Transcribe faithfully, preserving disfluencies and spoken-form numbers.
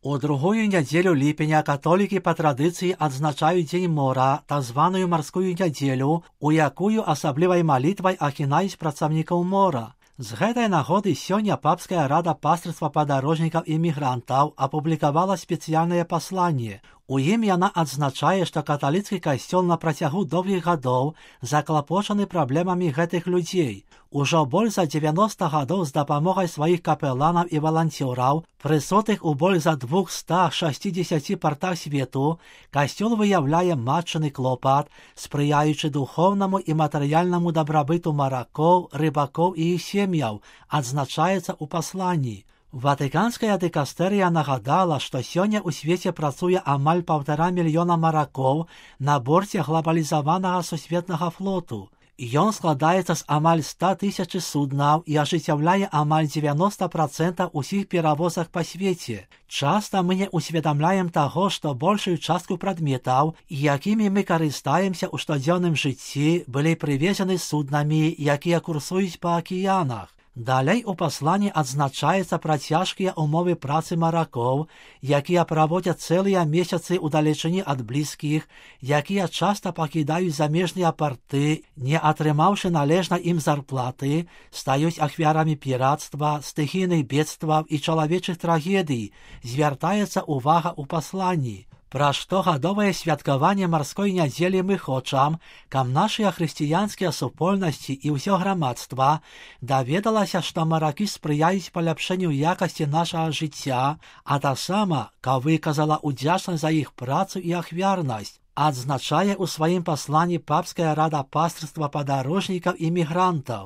У другую нядзелю ліпеня католікі па традыцыі адзначаюць дзень мора, так званую марскую нядзелю, у якую асаблівай малітвай ахінаюць працаўнікаў мора. З гэтай нагоды сёння папская рада пастырства падарожнікаў і мігрантаў апублікавала спецыяльнае пасланне. У ім яна адзначае, што каталіцкі касцёл на працягу доўгіх гадоў заклапочаны праблемамі гэтых людзей. Ужо больш за дзевяноста гадоў з дапамогай сваіх капеланаў і валанцёраў, прысутых у больш за двухстах шасцідзесяці партах свету, касцёл выяўляе матчыны клопат, спрыяючы духоўнаму і матэрыяльнаму дабрабыту маракоў, рыбакоў і іх сем'яў, адзначаецца ў пасланні. Ватыканская дыкастэрыя нагадала, што сёння ў свеце працуе амаль паўтара мільёна маракоў на борце глабалізаванага сусветнага флоту. Ён складаецца з амаль ста тысяч суднаў і ажыццяўляе амаль дзевяноста працэнтаў усіх перавозак па свеце. Часта мы не усведамляем таго, што большую частку прадметаў, якімі мы карыстаемся ў штодзённым жыцці, былі прывезены суднамі, якія курсуюць па акіянах. Далей у пасланні адзначаецца пра цяжкія ўмовы працы маракоў, якія праводзяць цэлыя месяцы ў далечыні ад блізкіх, якія часта пакідаюць замежныя парты, не атрымаўшы належна ім зарплаты, стаюць ахвярамі пірацтва, стыхійных бедстваў і чалавечых трагедый, звяртаецца ўвага ў пасланні. Пра штогадовае святкаванне марской нядзелі мы хочам, каб нашыя хрысціянскія супольнасці і ўсё грамадства даведалася, што маракі спрыяюць паляпшэнню якасці нашага жыцця, а таксама, каб выказала ўдзячнасць за іх працу і ахвярнасць, адзначае ў сваім пасланні папская рада пастырства падарожнікаў і мігрантаў.